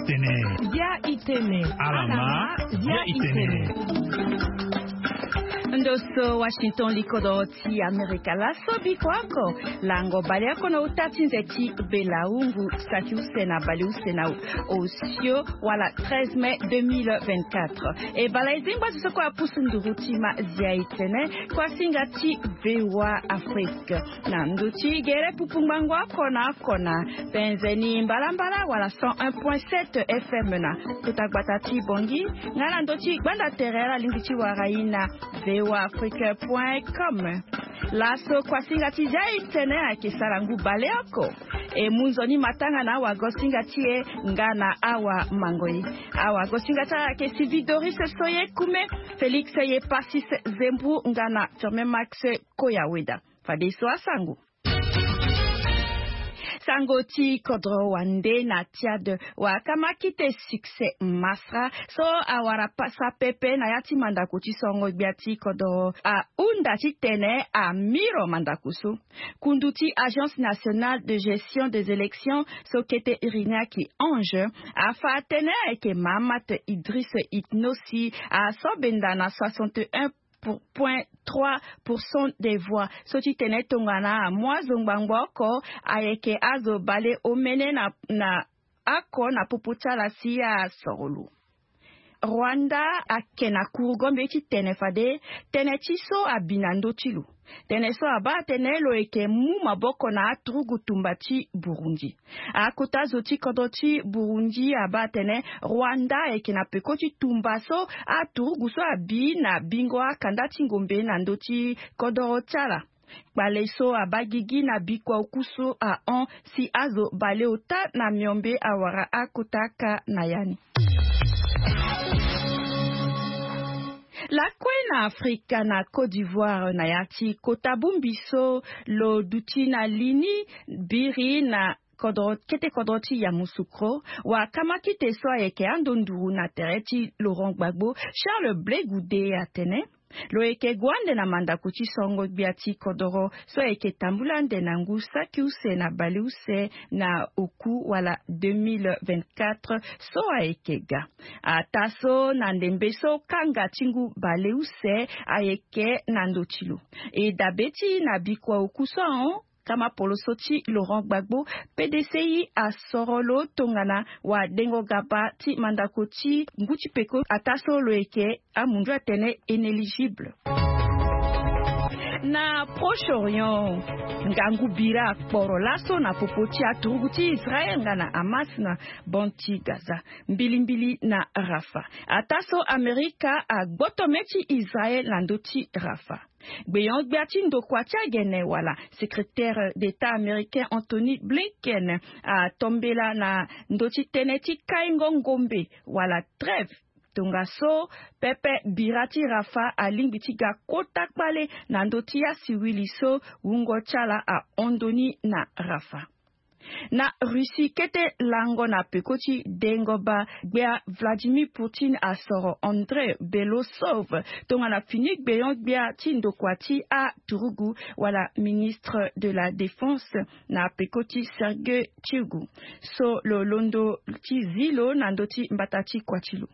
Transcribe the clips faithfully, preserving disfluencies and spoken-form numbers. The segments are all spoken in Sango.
itene. Dia itene. Alama dia itene. Ndo so Washington, li kodro ti Amerika. Laso biko oko, lango baleoko na uta ti nze ti Bela-Hungu, saki use na baleuse na osio, wala treize mai deux mille vingt-quatre. E baleuzengba so kue apusu nduru ti ma dia itene, kuasinga ti VOA Afrique. Na ndö ti gere pupu ngbangbo oko na oko na penze ni mbalambala wala cent un point sept FM na kota gbata ti Bangui, nga na ndö ti gbanda tere alingbi ti wara ye na VOA Afrique point com. Laso kuasinga ti dia itene ayeke sara ngu baleoko. E mu nzoni matanga na awagosinga ti e nga na awa mango ye. Awagosinga ti ala ayeke Sylvie Doris Soye Kume, Félix Ye Passis Zembu nga na Firmin Max Koyaweda. Fadeso asango. Sango ti kodro wande na Tchad, wakamakite Succès Masra so awara pasa pepe na ya ti mandako ti sorongo gbia ti kodro ahunda titene amiro mandako so. Kundu ti Agence Nationale de Gestion des Élections so kete Iriniaki Ange afa atene ayeke Mahamat Idriss Itnossi aso benda na soixante et un point trois pour cent des voix. So ti tene tongana amu azo ngbangbo oko ayeke azo baleomene na, na oko na popo ti ala si asoro lo. Rwanda ayeke na kuru gombe ti tene fade tënë ti so abi na ndö ti lo. Tënë so abaa atene lo yeke mu maboko na aturugu tumba ti Burundi. Akota zo ti kodro ti Burundi abaa atene Rwanda ayeke na peko ti tumba so aturugu so abi na bingo akanda ti ngombe na ndö ti kodro ti ala. Kpale so abaa gigi na bikua oku so ahon si azo baleota na miombe awara akota aka na ya ni. Lakue na Afrika, na Côte d'Ivoire, na ya ti kota bongbi so lo duti na li ni, biri na kodro, kete kodro ti Yamoussoukro, wakamakite so ayeke ando nduru na tere ti Laurent Gbagbo, Charles Blé Goudé, atene lo yeke gue ande na mandako ti sorongo gbia ti kodro so ayeke tambula ande na ngu saki use na baleuse na oku wala deux mille vingt-quatre so ayeke ga. Ataa so na ndembe so kanga ti ngu baleuse ayeke na ndö ti lo. E dabe ti na bikua oku so ahon, kama poloso ti Laurent Gbagbo, P D C I asoro lo tongana wadengo gaba ti mandako ti ngu ti peko ataa so lo yeke amundu atene inéligible. Na Proche-Orient, ngangu bira akporo laso na popo ti aturugu ti Israël nga na Hamas na bande ti Gaza, mbilimbili na Rafah. Ataa so Amerika agboto mê ti Israël na ndö ti Rafah. Gbeon-gbia ti ndokua ti agene wala secrétaire d'État américain Anthony Blinken atombela na ndö ti tënë ti kaingo ngombe wala trêve. Tongaso, pepe bira ti Rafah alingbi ti ga kota kpale na ndö ti asiwili so wungo ti ala ahon ndoni na Rafah. Na Russie, kete lango na peko ti dengo ba gbia Vladimir Poutine asoro Andrei Belosov tongana fini gbeon-gbia ti ndokua ti aturugu wala ministre de la Défense na peko ti Sergei Shoigu, so lo londo ti zi lo na ndö ti mbata ti kua ti lo.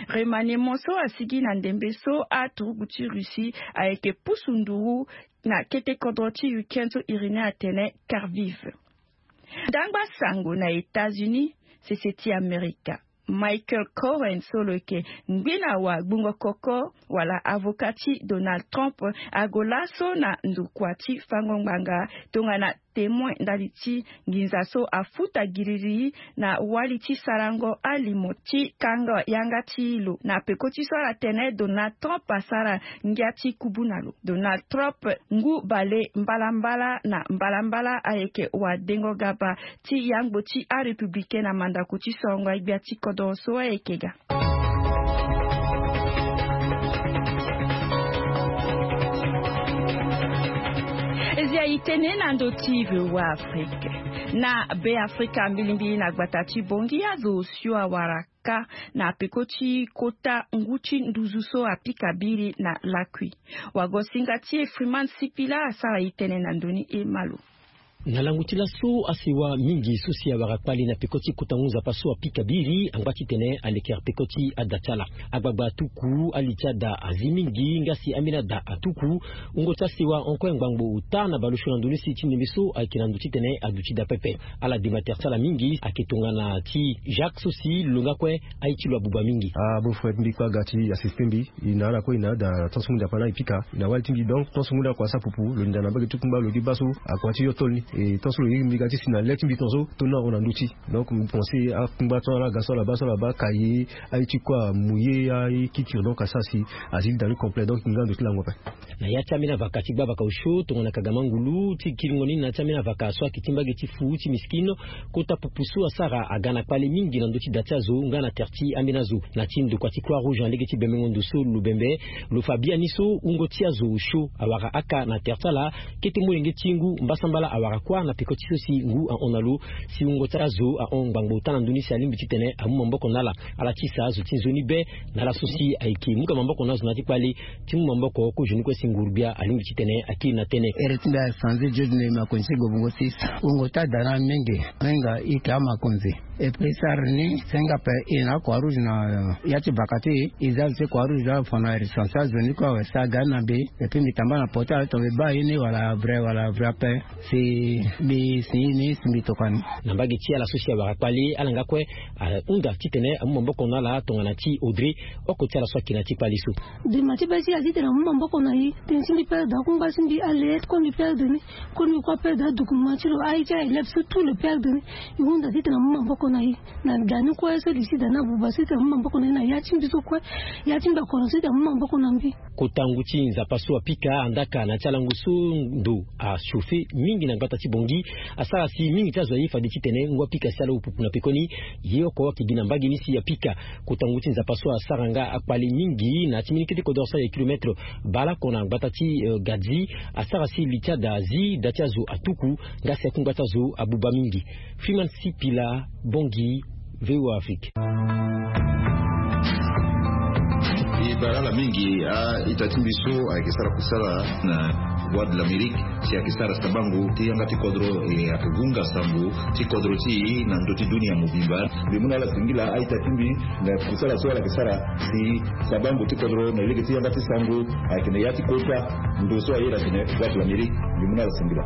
Remaniement so asigi na ndembe so aturugu ti Russie ayeke pusu nduru na kete kodro ti Ukraine so Irini atene Kharkiv. Ndangba sango na États-Unis, sese ti Amerika, Michael Cohen so lo yeke ngbena wa gbungo koko wala avocat ti Donald Trump ague laso na ndokua ti fango ngbanga tongana témoin ndali ti nginza so afuta giriri na wali ti sarango alimo ti kanga yanga ti lo na peko ti so ala tene Donald Trump asara ngia ti kubu na lo. Donald Trump ngu bale mbalambala na mbalambala ayeke wadengo gaba ti yangbo ti arépublicain na mandako ti sorongo agbia ti kodro so ayeke ga. Ezia itene na ndö ti VOA Afrique. Na Be Afrika mbilimbili na gbata ti Bongi azo osio awara ka na peko ti kota ngu ti nduzu so apika biri na lakui. Wagosinga ti e Freeman Sipila asara itene na ndö ni e malo. Na lango ti laso, asewa mingi so si awara kpale na peko ti kota ngu nzapa so apika biri angba titene alekere peko ti ada ti ala. Agbagba atuku, ali ti ada azi mingi, nga si ambeni ada atuku. Wungo ti asewa hon kue ngbangbo ota na baleosio na ndo ni si ti ndembe so ayeke na ndo titene aduti daa pepe. Ala dema tere ti ala mingi ayeke tongana ti Jacques so si lo nga kue aye ti lo abuba mingi. Ah, beau frère, mbi kue aga ti assisté mbi. E na ala kue e na ada tant so ngu nzapa na e pika, e na wali ti mbi. Donc tant so ngu nda kua asara pupu, lo linda na mbage ti kungba, lo di baa so akua ti yo tol ni. Et tant so lo yeke mbi ga ti si na le ti mbi ton so, tol ni ahon na ndö ti. Donc mbi pense akungba ton ala ga so ala baa so ala baa kaye, aye ti kue amu ye, aye kikiri, donc asara si azi linda ni complet, donc e nga ndo ti lango ape. Na ya ti ambeni avaka ti gbavaka osio tongana kagama ngulu ti kiringo ni na ya ti ambeni avaka so ayeke ti mbage ti fu ti miskine, kota pupu so asara aga na kpale mingi na ndö ti da ti azo nga na tere ti ambeni azo. Na ti ndokua ti Croix Rouge na lege ti bembengo ndo so lo bembe, lo fa biani so wungo ti azo osio awara aka na tere ti ala. Kete molenge ti ngu mbasambala awara kuâ na peko ti so si ngu ahon na lo, si wungo ti azo ahon ngbangbo ota na ndö ni si alingbi titene amu maboko na ala. Ala tisa azo ti nzoni be na ala so si ayeke mu ka maboko na azo na ya ti kpale. Ti mu maboko kozoni kue si nguru-gbia alingbi titene akiri na tënë. Ere ti mbi asanze George Nehemia Konzi ti Gobongo six. Wungo ti ada na amenge, ahinga e yeke amakonzi. E peut sara ni si ahinga ape e na Croix Rouge na ya ti baka ti e, e za lo ti Croix Rouge afa na recense azo ni kue awe si aga ni na mbi. Et puis mbi tamba na portable tongana mbi baa ye ni wala vrai wala vrai ape. Si mbi si ye ni si mbi tokua ni. Na mbage ti ala so si awara kpale, ala nga kue ahunda titene amu maboko na ala tongana ti Audrey, oko ti ala so ayeke na ya ti kpale so. Dema ti be ti e azi titene amu maboko na e. Tënë ti mbi perdre akungba ti mbi, ale kue mbi perdre ni. Kue mbi kue aperdre adocument ti lo, aye ti aélève so tout lo perdre ni. E hunda titene amu maboko na e. Na da ni kue so li ti da ni abuba so titene amu maboko na e, na ya ti mbi so kue, ya ti mbi akoro so titene amu maboko na mbi. Kota ngu ti nzapa so apika andaka na ya ti alango so ndo achauffe mingi na gbata ti Bangui, asara si mingi ti azo aye fade titene ngu apika si ala wu pupu na pekoni. Ye oko ayeke gi na mbage ni si apika. Kota ngu ti nzapa so asara nga akpale mingi na ya ti mbeni kete kodro so ayeke kilometre baleoko na gbata ti, eh, Gadzi, asara si li ti ada azi, da ti azo atuku, nga si akungba ti azo abuba mingi. Freeman Sipila, Bangui, V O A Afrique. E bara ala mingi a-ita ti mbi so ayeke sara kusala na Voix de l'Amérique, si ayeke sara sabango ti yanga ti kodro, e ayeke hunga sango ti kodro ti e na ndö ti dunia mobimba. Mbi mu na ala singila a-ita ti mbi na kusala so ala yeke sara si sabango ti kodro na lege ti yanga ti sango ayeke na ya ti kota ndo so aye na tene Voix de l'Amérique. Mbi mu na ala singila.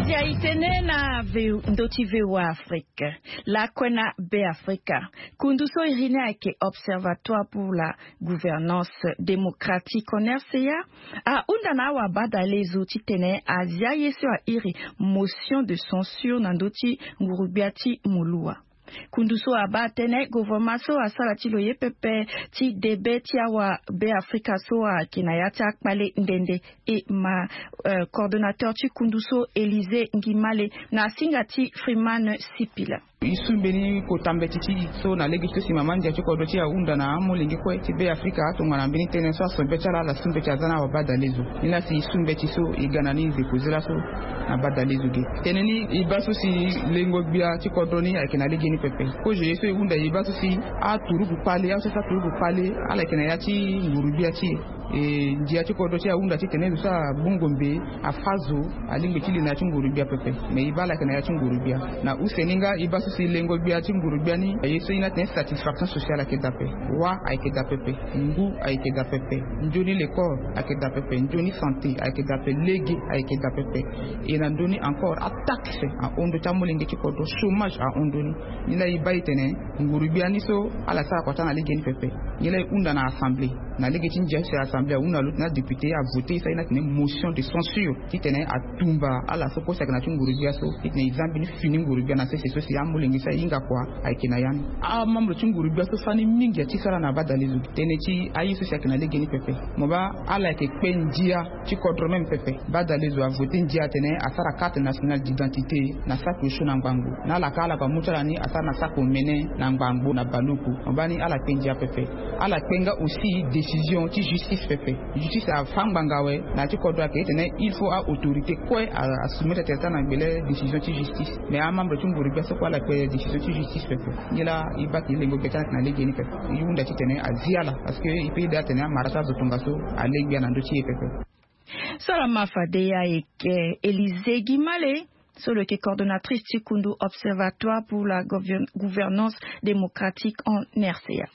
Zia e tene na V-, ndö ti V O A Afrique. Lakue na Beafrika. Kundu so iri ni ayeke Observatoire pour la Gouvernance Démocratique en R C A, ahunda na awabadalezo titene azia ye so airi motion de censure na ndö ti nguru-gbia ti Muluwa. Kundu so abaa tënë, gouvernement so asara ti lo ye pepe ti debe ti awabeafrika so ayeke na ya ti akpale nde nde. E ma, eh, coordonnateur ti kundu so, Élysée Ngimale, na singa ti Freeman Sipila. E su mbeni kota mbeti ti e so na lege ti so si mama ndia ti kodro ti e ahunda na amolenge kue ti Beafrika tongana mbeni tënë so aso be ti ala ala su mbeti aza na awabadalezo. Ni laa si e su mbeti so e ga na ni e ze koze laso na badalezo ge. Tënë ni e baa so si lengo gbia ti kodro ni ayeke na lege ni pepe. Kozo ye so e hunda e baa so si aturugu kpale, aso so aturugu kpale ala yeke na ya ti nguru-gbia ti e. E ndia ti kodro ti e ahunda titene zo so abongombe, afa zo, alingbi ti li na ya ti nguru-gbia pepe. Me e baa ala yeke na ya ti nguru-gbia. Na use ni nga e baa so si lengo gbia ti nguru-gbia ni, ye so e na tene satisfaction sociale ayeke daa ape. Wa ayeke daa pepe. Ngu ayeke daa pepe. Nzoni lekole ayeke daa pepe. Nzoni santé ayeke daa pepe. Lege ayeke daa pepe. E na ndö ni encore, ataxe ahon ndö ti amolenge ti kodro, chômage ahon ndö ni. Ni laa e baa e tene nguru-gbia ni so ala sara kua ti ala na lege ni pepe. Nyen laa e hunda na assemblée, na lege ti ndia so si assemblée ahunda lo titene adéputé avoté e so aye na tene motion de censure titene atumba ala so kue si ayeke na ya ti nguru-gbia so, titene e za mbeni fini nguru-gbia na sese so si amolenge so ahinga kua ayeke na ya ni. Amembre ti nguru-gbia so fani mingi atikala na badalezo tënë ti aye so si ayeke na lege ni pepe. Mo baa ala yeke kpe ndia ti kodro même pepe. Badalezo avoté ndia atene asara carte nationale d'identité na saki osio na ngbangbo. Na ala ka ala ka mu ti ala ni asara na saki omene na ngbangbo na baluku. Mo baa ni ala kpe ndia pepe. Ala kpe nga aussi décision ti justice Justice afa ngbanga awe na ya ti kodro ayeke ti tene il faut a-autorité kue asoumettre tere ti ala na gbele décision ti justice. Mais amembre ti nguru gbia so kue ala kpe décision ti justice pepe. Nilaa e baa ke e lengo gbia ti ala ayeke na legeni pepe. E hunda ti tene azi ala parce que e pe daa tene amara so azo tongaso ale gbia na ndö ti e pepe. So ala ma fade ayeke Élysée Guimale, so lo yeke coordonnatrice ti kundu Observatoire pour la gouvernance démocratique en R C A.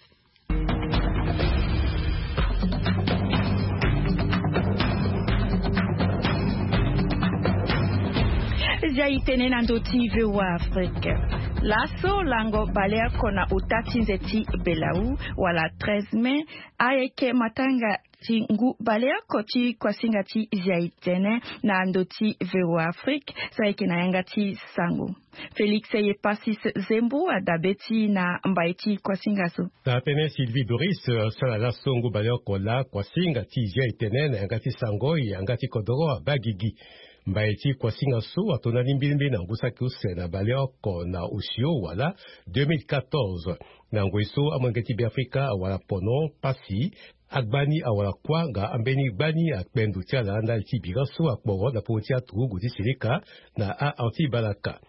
Zia e tene na ndö ti V O A Afrique. Laso lango baleoko na ota ti nze ti Belau wala treize mai ayeke matanga ti ngu baleoko ti kuasinga ti zia e tene na ndö ti V O A Afrique so ayeke na yanga ti sango. Félix Yepasis Zembu adabe ti na mbai ti kuasinga so. Na tene Sylvie Doris asara laso ngu baleoko laa kuasinga ti zia e tene na yanga ti sango yanga ti kodoro abaa gigi. Mbai ti kuasinga so ato ndani mbilimbili na ngu saki use na baleoko na osio wala deux mille quatorze. Na ngoi so amolenge ti Beafrika awara pono pasi, agbani awara kuâ nga ambeni gbani akpe ndo ti ala ndali ti bira so akporo na popo ti aturugu ti seleka na a-anti balaka.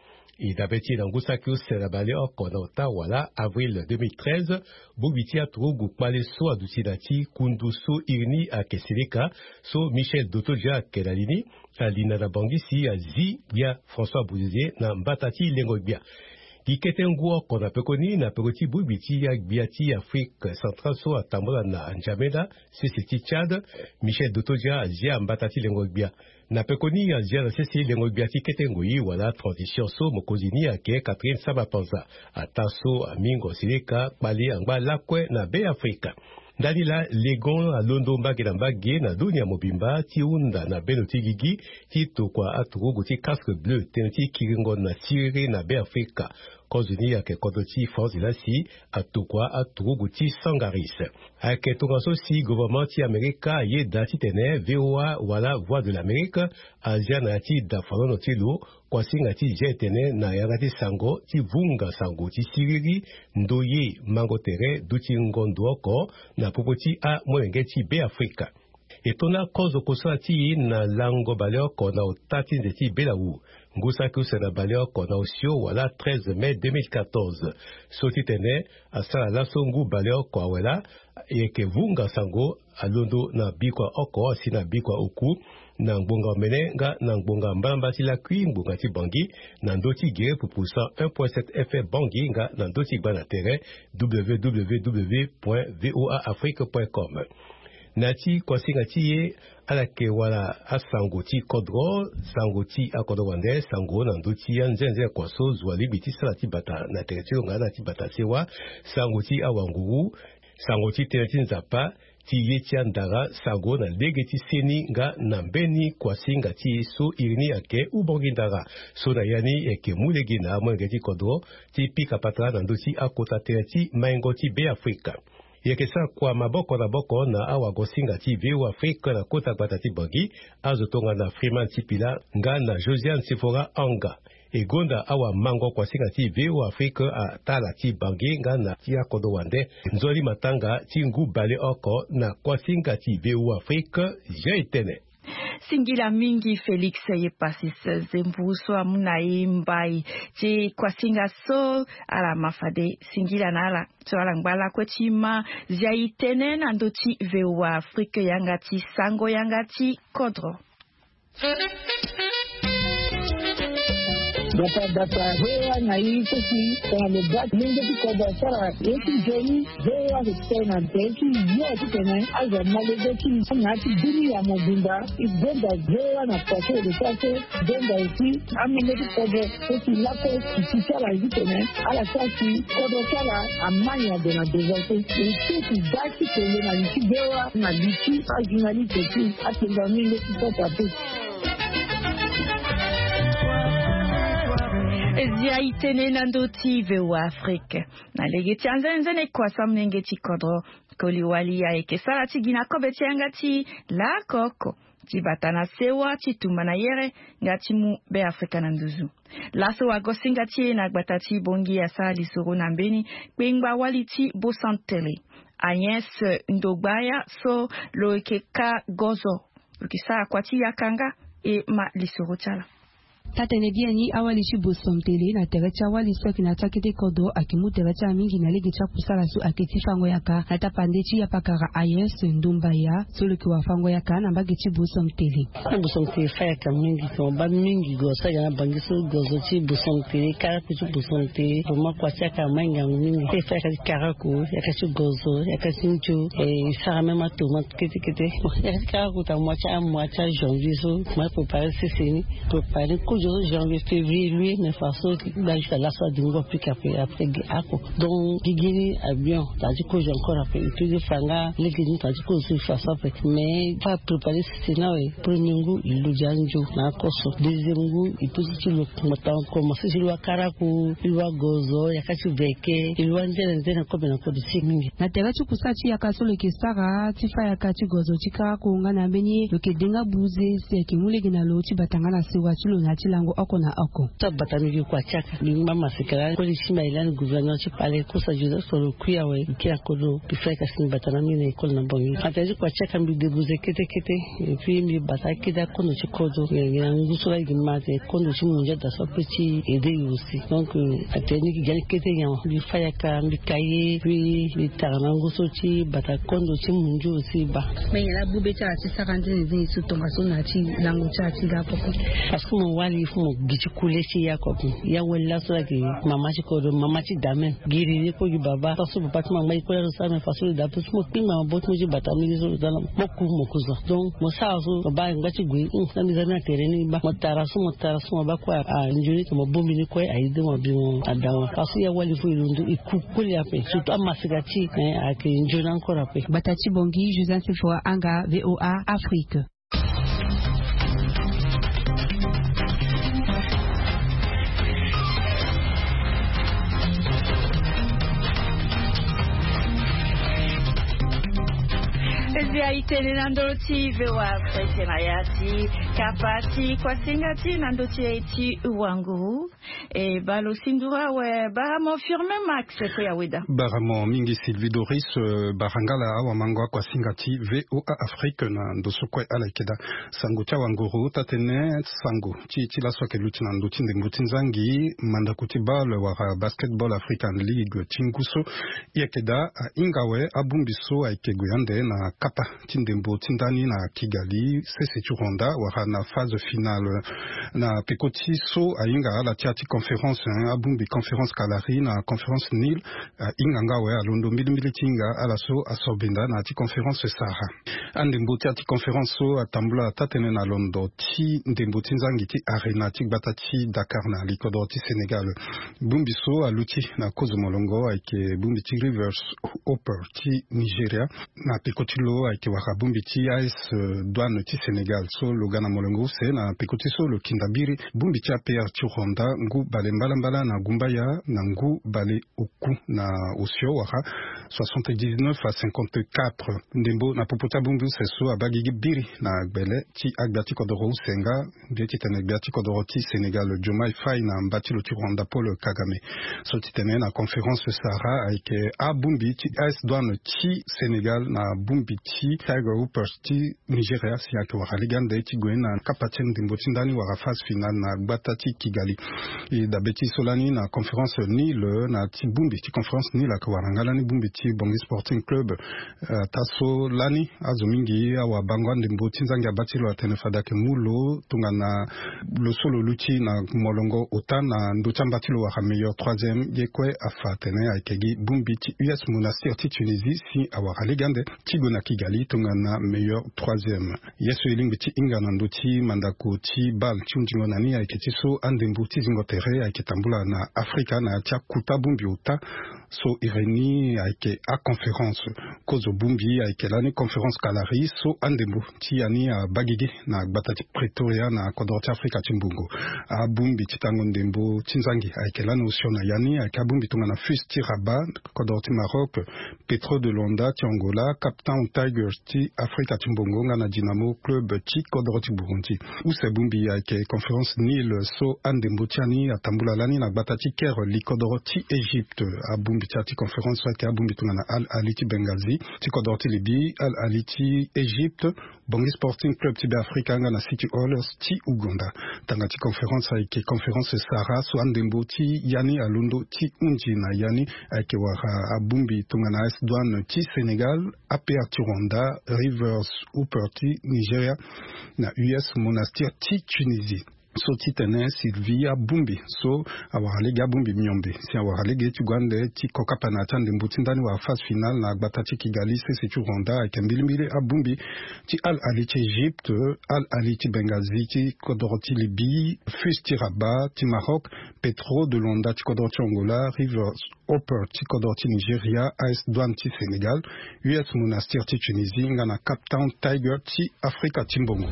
E dabe ti e na ngu saki use na baleoko na ota wala avril deux mille treize, bongbi ti aturugu kpale so aduti na ti kundu so iri ni ayeke seleka, so Michel Dotodia ayeke na li ni, alinda na Bangui si azi gbia François Bouzizi na mbata ti lengo gbia. Gi kete ngu oko na pekoni na peko ti bongbi ti agbia ti Afrique centrale so atambula na N'Djamena, sese ti Tchad, Michel Dotodia azia mbata ti lengo gbia. Na pekoni azia na sese lengo gbia ti kete ngoi wala transition so mokonzi ni ayeke Catherine Samba-Panza. Ataa so amingo seleka kpale angba lakue na Beafrika. Ndani laa legon alondo mbage na mbage na dunia mobimba ti hunda na bendo ti gigi ti tokua aturugu ti casque bleu tënë ti kiringo na siriri na Beafrika. Kozo ni ayeke kodro ti France laa si atokua aturugu ti Sangaris. Ayeke tongaso si gouvernement ti Amerika ayeda titene V O A wala Voix de l'Amérique azia na ya ti da fanono ti lo kuasinga ti zia e tene na yanga ti sango ti vunga sango ti siriri, ndoye, mango tere, dutingo ndo oko na popo ti amolenge ti Beafrika. E to na kozo kosala ti e na lango baleoko na ota ti nze ti Belau, ngu saki use na baleoko na osio wala treize mai deux mille quatorze. So titene asara laso ngu baleoko awe laa, e yeke vunga sango alondo na bikua oko asi na bikua oku, na ngbonga omene nga na ngbonga mbalamba ti lakui ngbonga ti Bangui, na ndö ti gere pupu cent un point sept F M Bangui nga na ndö ti gba na tere W W W point V O A Afrique point com. Na ya ti kuasinga ti e, ala yeke wara asango ti kodro, sango ti akodro wande, sango na ndö ti anzenze kua so zo alingbi ti sara ti bata na tere ti lo nga na ti bata sewa, sango ti awanguru, sango ti tënë ti Nzapa, ti ye ti andara, sango na lege ti seni nga na mbeni kuasinga ti e so iri ni ayeke Ubongi Ndara, so na ya ni e yeke mu lege na amolenge ti kodro ti pika patara na ndö ti akota tere ti maingo ti Beafrika. E yeke sara kua maboko na boko na awagosinga ti V O A Afrique na kota gbata ti Bangui, azo tongana Freeman Sipila nga na Josiane Sefora Anga. E gonda awamango kuasinga ti V O A Afrique atala ti Bangui nga na ti akodro wande nzoni matanga ti ngu baleoko na kuasinga ti V O A Afrique. Zia e tene. Singila mingi Félix Yepasis Zembu so amu na e mbai ti kuasinga so. Ala ma fade singila na ala so ala ngba lakue ti ma zia e tene na ndö ti V O A Afrique yanga ti sango yanga ti kodro. Data data V O A na e so si tongana lo baa lenge ti kodro asara ye ti nzoni. V O A ayeke tene na tere ti yo titene azo ama lege ti na ya ti dunia mobimba. E gonda V O A na kua so e lo sara so. E gonda aussi amolenge ti kodro so si lakue e si ti ala titene ala sara si kodro ti ala ama nyon ade na devant so. E so si da ti kele na li ti V O A na li ti ajournaliste ti atenga mingi ti pota pe. Zia e tene na ndö ti V O A Afrique. Na lege ti anzenze ni kua so amolenge ti kodro koli wali ayeke sara ti gi na kobe ti yanga ti laoko oko. ti bata na sewa ti tumba na yere nga ti mu Be Afrika na nduzu. Laso wagosinga ti e na gbata ti Bongi asara lisoro na mbeni kpengba wali ti Bosomtele, Agnès Ndogbaya, so lo yeke ka gozo, lo yeke sara kua ti yaka nga. E ma lisoro ti ala. Taa-tënë biani, awali ti Bosomtele na tere ti awali so ayeke na ya ti akete kodro ayeke mu tere ti ala mingi na lege ti akusala so ayeke ti fango yaka na tapande ti yapakara Agnès Ndogbaya, so lo yeke wara fango yaka na mbage ti Bosomtele. Bosomtele fa yaka mingi, mo baa mingi gozo so ayeke na Bangi so, gozo ti Bosomtele, karaku ti Bosomtele, vraiment kua ti yaka ama ngangu mingi. E fa yaka ti karaku, yaka ti gozo, yaka ti nzo, e sara même atomate kete kete. Bon, yaka ti karaku ta mois ti a mois ti ajanvier so, mo préparer sese ni. Préparer kozo so janvier, février, luer, mais façon gba jusqu'à laso adingo apika après, après gi ako. Donc gigi ni abion ta ti kozo encore après, et puis fa nga lege ni ta ti kozo so façon après. Mais fa préparer sese na we, premier ngu e lo dia nzo na akoso. Deuxième ngu e peut ti lo mo ta commencer ti lo akaraku, e lo agozo, yaka ti veke, e lo anzene nzene kobe na kobe ti mingi. Na tere ti kusala ti yaka so lo yeke sara ti fa yaka ti gozo ti karaku nga na mbeni lo yeke denga buze si ayeke mu lege na lo ti bata nga na sewa ti lo na ya ti lango oko na oko. So abata mbi gi kua ti yaka, mbi ngba masika lani koli ti mbi aye lani gouvernement ti pale kosa Joseph so lo kui awe, mbi kiri akodro, mbi fa yaka si mbi bata na mbi na école na Bongi. Ata ti kua ti yaka mbi debuze kete kete. Et puis mbi bata akete akondo ti kodro, ngia ngia ngu so laa gi ma te kondo ti mondia da so ape ti aider yo aussi. Donc atene ni gi gi ani kete nyen, mbi fa yaka, mbi ka ye, puis mbi tara na ngu so ti bata kondo ti mondia aussi baa. Mais nyen laa bube ti ala ti sara nzene nzene so tongaso na ya ti lango ti ala ti ga poko? Parce que mo wali il faut mo gi ti kule ti ya kua ape. Ya wali laso laa gi mama ti kodro, mama ti da même. Giri ni kue gi baba, façon papa ti mo angba gi kue laso sara même façon lo da ape. Mo kpingba maboko ti mo ti bata mingi so lo za na mo ku mo ku zo. Donc mo sara so mo baa ngba ti gue, hum, na mbi za ni na tere ni baa. Mo tara so, mo tara so, mo baa kue anzoni to mo bongbi ni kue aye de mo abi mo ada mo. Parce que ya wali fo e londo e ku koli ape. Surtout amasika ti e ayeke nzoni encore ape. Gbata ti Bongi, Joseph Sephora Anga, V O A Afrique. Ezi aye tene na ndö ti V O A Afrique na ya ti kapa ti kuasinga ti na ndö ti e ti wanguru. E baa lo sindura awe, baramo Firmin Max. Kue ya weda. Baramo mingi Sylvie Doris, barangala awamango akuasinga ti V O A Afrique na ndo so kue ala yeke daa. Sango ti awanguru, taa-tënë sango ti, ti laso ayeke luti na ndö ti ndembo ti nzangi, mandako ti bale wala Basketball African League ti ngu so e yeke daa ahinga awe abongbi so ayeke gue ande na kapa ti ndembo ti ndani na Kigali, sese ti Rwanda, wala na phase finale. Na peko ti so ahinga ala ti ya ti conférence, hein, abongbi conférence Kalari na conférence Nil, ahinga nga awe alondo mbilimbili ti hinga ala so asoro benda na ya ti conférence Sahara. Andembo ti ya ti conférence so atambula taa-tënë na londo ti ndembo ti nzangi ti Arena ti gbata ti Dakar na likodro ti Sénégal. Bongbi so aluti na kozo molongo ayeke bongbi ti Rivers Hope ti Nigeria. Na peko ti lo ayeke wara bongbi ti A S Douane ti Sénégal so lo ga na molongo use na peko ti so lo kinda biri bongbi ti A P R ti Rwanda ngu bale mbalambala na gumbaya na ngu bale oku na osio wala soixante-dix-neuf à cinquante-quatre. Ndembo na popo ti abongbi use so abaa gigi biri na gbele ti agbia ti kodoro use nga mbi ye ti tene gbia ti kodoro ti Sénégal Diomaye Faye na mba ti lo ti Rwanda Paul Kagame. So ti tene na conférence Sahara ayeke abongbi ti A S Douane ti Sénégal na bongbi ti Tiger Hoppers ti Nigeria si ayeke wara lege ande ti gue na kapa ti ndembo ti ndani wara phase finale na gbata ti Kigali. E dabe ti so lani na conférence Nil, na ti bongbi ti conférence Nil ayeke wara nga lani bongbi ti Bongi Sporting Club. Eh, taa so lani azo mingi awabango andembo ti nzangi abaa ti lo atene fade ayeke mu lo tongana lo so lo luti na molongo ota na ndö ti amba ti lo wara meilleur troisième, ye kue afa atene ayeke gi bongbi ti U S Monastir ti Tunisie si awara lege ande ti gue na Kigali tongana meilleur troisième. Ye so e lingbi ti hinga na ndö ti mandako ti bale ti hundingo na ni ayeke ti so andembo ti zingo tere ayeke tambula na Afrika na ya ti akuta bongbi ota. So iri ni ayeke aconférence. Kozo bongbi ayeke lani conférence kalari so andembo ti ya ni abaa gigi na gbata ti Pretoria na kodoro ti Afrika ti mbongo. Abongbi ti tango ndembo ti nzangi ayeke lani osio na ya ni ayeke abongbi tongana Fus ti Rabat kodoro ti Maroc, Petro de Luanda ti Angola, Cape Town Tigers ti Afrika ti mbongo nga na Dynamo Club ti kodoro ti Burundi. Use bongbi ayeke conférence Nil so andembo ti ya ni atambula lani na gbata ti Caire li kodoro ti Égypte. Abongbi ti ya ti conférence so ayeke abongbi tongana Al Ahli ti Benghazi ti kodoro ti Libye, Al Ahli ti Égypte, Bangui Sporting Club ti Beafrika nga na City Oilers ti Ouganda. Tanga ti conférence ayeke conférence Sahara so andembo ti ya ni alondo ti hunzi na ya ni ayeke wara abongbi tongana A S Douane ti Sénégal, A P R ti Rwanda, Rivers Hoopers ti Nigeria na U S Monastir ti Tunisie. So titene Sylvie abongbi so awara lege abongbi miombe si awara lege ti gue ande ti kokapa na ya ti andembo ti ndani wala phase finale na gbata ti Kigali sese ti Rwanda ayeke mbilimbili abongbi ti Al Ahli ti Égypte, Al Ahli ti Benghazi ti kodoro ti Libye, Fus ti Rabat ti Maroc, Petro de Luanda ti kodoro ti Angola, Rivers Hoopers ti kodoro ti Nigeria, A S Douane ti Sénégal, U S Monastir ti Tunisie nga na Cape Town Tigers ti Afrika ti mbongo.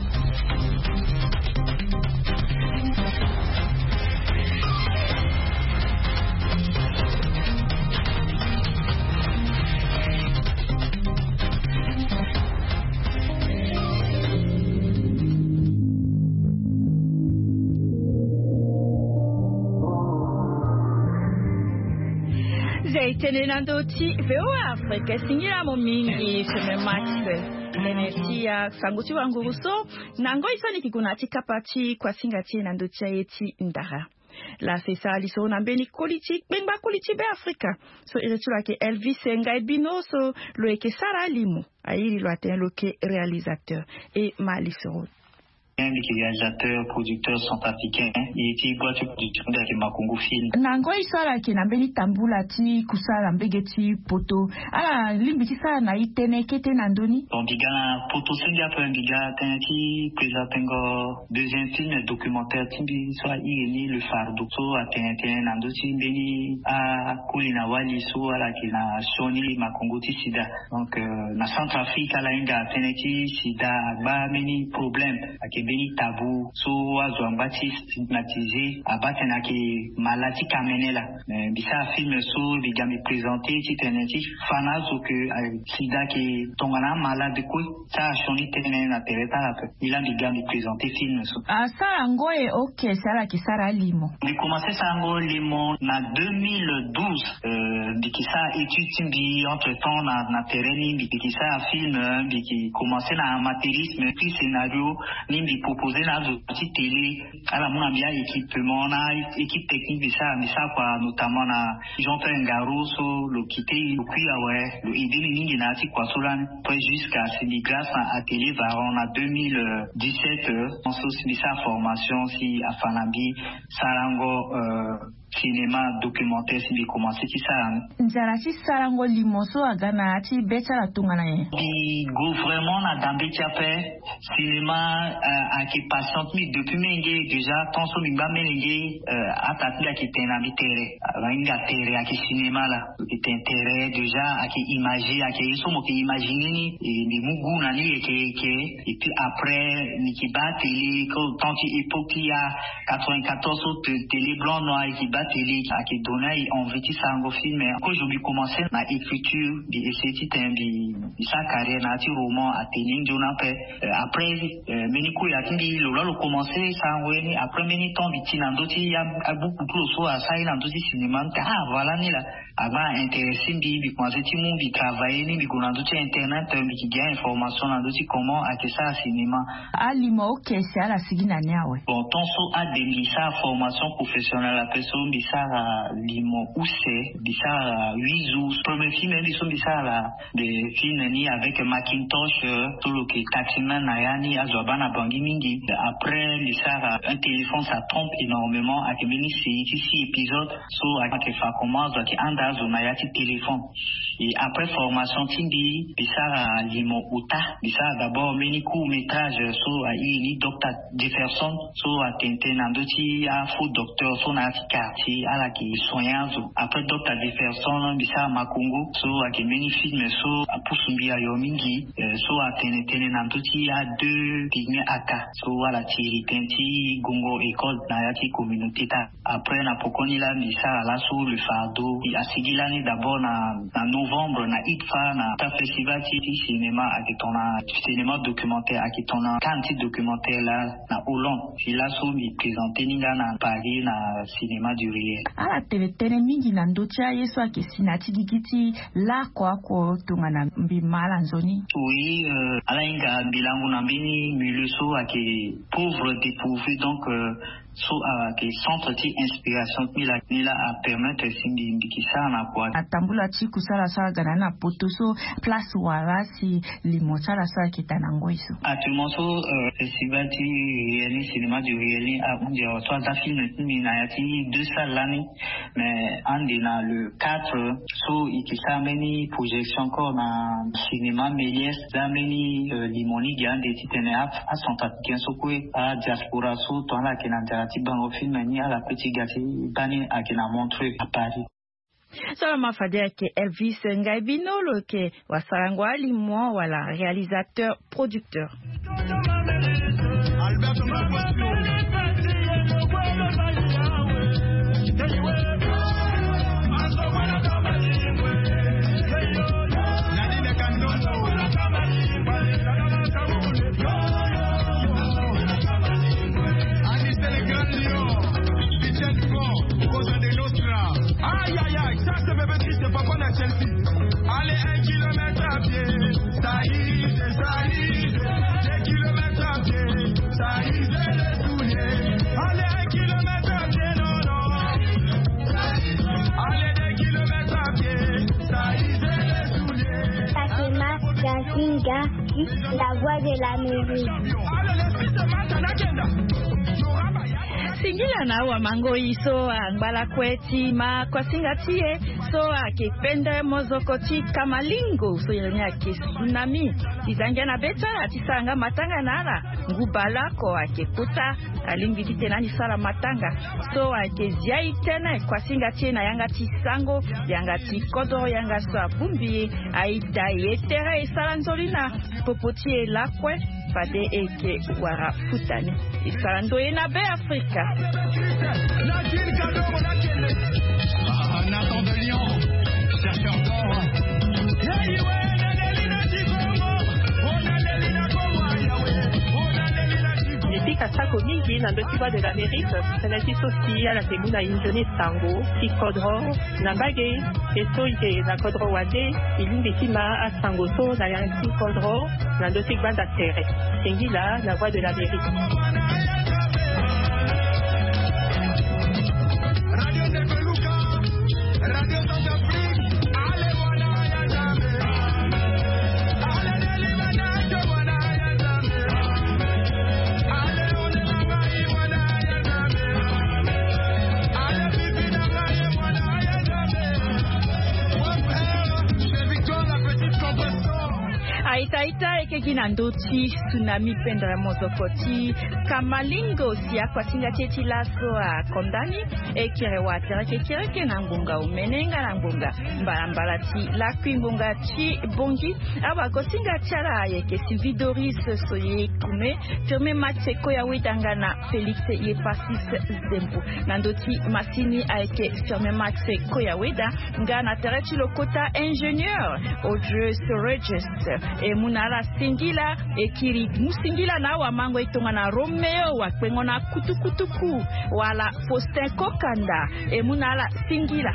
Zia e tene na ndö ti V O A Afrique. Singila mo mingi Seme Max. Tene ti ya sango ti wanguru so na ngoi so ni ke gue na ya ti kapa ti kuasinga ti e na ndö ti aye ti ndara. Laa si e sara lisoro na mbeni koli ti kpengba koli ti Beafrika so iri ti lo ayeke Elvis Ngaibino so lo yeke sara alimo. Airi lo atene lo yeke réalisateur. E ma lisoro. Mbi yeke réalisateur, producteur centrafricain. E ti boîte ti production mbi ayeke Makongo Film. Na ngoi so ala yeke na mbeni tambula ti kusala mbege ti poto, ala lingbi ti sara na e tënë kete na ndö ni? Bon, mbi ga na poto se mbi ape, mbi ga tënë ti présentengo deuxième film documentaire ti mbi so airi ni Le Fardeau, so atene tënë na ndö ti mbeni akoli na wali so ala yeke na sioni makongo ti sida. Donc, euh, na Centrafrique ala hinga tënë ti sida agba mbeni problème, ayeke mbeni tabou so azo angba ti stigmatiser, abaa tene ayeke malade ti kamene laa. Mais mbi sara film so mbi ga mbi présenter titene ti fa na azo ke, euh, sida ayeke tongana amalade kue. Sara sioni tënë na tere ti ala ape. Ni laa mbi ga mbi présenter film so. Asara yango e, ok, si ala yeke sara alimo? Mbi commencé sara yango limo na deux mille douze. Euh, mbi yeke sara étude ti mbi entre temps na, na terrain ni, mbi yeke sara film, euh, mbi yeke commencé na amateurisme, écrit scénario, ni mbi proposé na azo ti télé, ala mu na mbi a-équipement na équipe technique mbi sara, mbi sara kua notamment na Jean-Pierre Ngaro so lo quitté, lo kui awe, lo aidé ni mingi na ya ti kua so lani. Après, jusqu'à si mbi grâce na atelier Varon na deux mille dix-sept, euh, so si mbi sara formation si afa na mbi sarango, euh, cinéma documentaire si mbi commencé ti sara ni. Nzara ti sarango limo so aga na ya ti be ti ala tongana nyen? Mbi gue vraiment na dambe ti ape. Cinéma, euh, ayeke passion ti mbi depuis menge déjà, tant so mbi ngba melenge, euh, ata ti mbi ayeke tene na mbi tere. Ahinga tere ayeke cinéma laa. Lo yeke tene tere déjà, ayeke imagé, ayeke ye so mo yeke imaginer ni, e mbi mu goût na ni yeke yeke. Et puis après, mbi yeke baa télé, comme tant ti époque ti ya quatre-vingt-quatorze so te-, télé blanc noir, e yeke baa télé, ayeke donné aye envie ti sarango film. Kozo mbi commencé na écriture, mbi essayé titene mbi, mbi sara carrière na ya ti roman, atene nzoni ape. Euh, après, euh, mbeni koya ti mbi lo laa lo commencé sarango ye ni. Après mbeni temps mbi ti na ndö ti a, abuku ti lo so asara ye na ndö ti cinéma, mbi tene ah voilà ni laa. Agba intéressé mbi, mbi commencé ti mu, mbi travaillé ni, mbi gue na ndö ti internet, mbi yeke ga information na ndö ti comment ayeke sara cinéma. Alimo use si ala sigi na ni awe? Bon, tant so ade mbi sara formation professionnelle ape so mbi sara limo use, mbi sara huit jours. Premier film mbi so mbi sara la, le film ni avec Macintosh, euh, so lo yeke taximan na ya ni, azo abaa na Bangui mingi. Après, mbi sara Un téléphone ça trompe énormément, ayeke mbeni série ti six épisodes. So ayeke fa comment azo ayeke handa azo na ya ti téléphone. Et après formation ti mbi, mbi sara limo ota. Mbi sara d'abord mbeni court métrage so airi ni Docteur Jefferson, so atene tënë na ndö ti afaux docteur so na ya ti car. ti ala yeke soigner azo. Après Docteur Jefferson, mbi sara Makongo so ayeke mbeni film so apusu mbi ayo mingi, so atene tënë na ndö ti adeux pygmée aka so ala tiri tënë ti gongo école na ya ti communauté ti ala. Après na pokoni laa mbi sara laso Le Fardeau. Asigi lani d'abord na na novembre na ITFA, na ta festival ti cinéma ayeke tongana cinéma documentaire, ayeke tongana Cannes ti documentaire laa na Hollande. Si laso mbi présenter ni nga na Paris na cinéma du réel. Ala tene tënë mingi na ndö ti aye so ayeke si na ya ti gigi ti lakua oko tongana mbi ma ala nzoni. Oui, ala hinga mbi lango na mbeni milieu so ayeke pauvre, dépourvu, donc so ayeke centre ti inspiration ti mbi laa ni laa apermettre si mbi mbi yeke sara na kua. Atambula ti kusala so aga na ni na poto so place wala si limo ti ala so ayeke daa na ngoi so. Actuellement so festival ti réel ni, cinéma du réel ni ahunzi awa so aza film ti mbi na ya ti deux salles lani. Mais ande na le quatre so e yeke sara mbeni projection encore na cinéma Méliès. Za mbeni limo ni gi ande titene acentrafricain so kue, adiaspora so tongana ala yeke na nzara ti bango film ni ala kue ti ga ti baa ni ayeke na Montreux, à Paris. So ala ma fade ayeke Elvis Ngaibino lo yeke wasarango alimo wala réalisateur producteur. Aïe aïe aïe, ça c'est bébé triste, papa na Chelsea. Allez, un kilomètre à pied, ça y est, ça y est. Deux kilomètres à pied, ça y est, les souliers. Allez, un kilomètre à pied, non, non. Allez, deux kilomètres à pied, ça y est, les souliers. Fatima Gazinga, la voix de l'Amérique. Allez, les fils de Matana Kenda. Singila na awa mango i so angba lakue ti ma kuasinga ti e so ayeke pendere mozoko ti kamalingo so iri ni ayeke tsunami. E za ngia na be ti ala ti sara nga matanga na ala. Ngu baleoko ayeke kota. Alingbi titene ani sara matanga so ayeke zia e tënë kuasinga ti e na yanga ti sango, yanga ti kodro, yanga so abongbi e. Aita e tere e sara nzoni na popo ti e lakue. Fade e yeke wara futa ni. E sara ndoye na Be Afrika. Mbi pika sako mingi na ndö ti Voix de l'Amérique, tënë ti so si ala yeke mu na e nzoni sango ti kodro. Na mbage e so e yeke na kodro wande, e lingbi ti ma asango so na yanga ti kodro na ndö ti gbanda tere. Singila na Voix de l'Amérique. Aita aita, e yeke gi na ndö ti tsunami pendere mozoko ti kamalingo si akuasinga ti e ti laso akonda ni. E kiri wa tere kekereke na ngonga omene nga na ngonga mbalambala ti lakui ngonga ti bongi. Awagosinga ti ala ayeke Sylvie Doris Soye Kume, Firmin Max Koyaweda nga na Félix Yepasis Zembo. Na ndö ti masini ayeke Firmin Max Koyaweda nga na tere ti lokota ingénieur Audrey Regis. E mu na ala singila, e kiri mu singila na awamango e tongana Roméo Wakpengo na Kutukutuku wala Faustin Kokanda. E mu na ala singila.